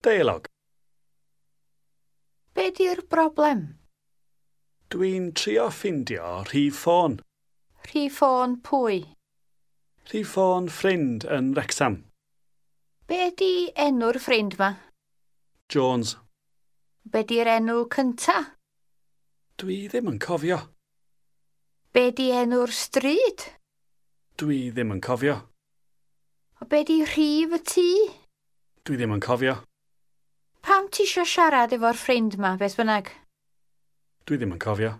Deialog. Be di'r broblem? Dwi'n trio ffindio rhif ffôn. Rhif ffôn pwy? Rhif ffôn ffrind yn Wrecsam. Be di enw'r ffrind ma? Jones. Be di'r enw cynta? Dwi ddim yn cofio. Be di enw'r stryd? Dwi ddim yn cofio. O be di rhif y tŷ? Dwi ddim yn cofio. Pam ti isio siarad efo'r ffrind ma, beth bynnag? Dwi ddim yn cofio.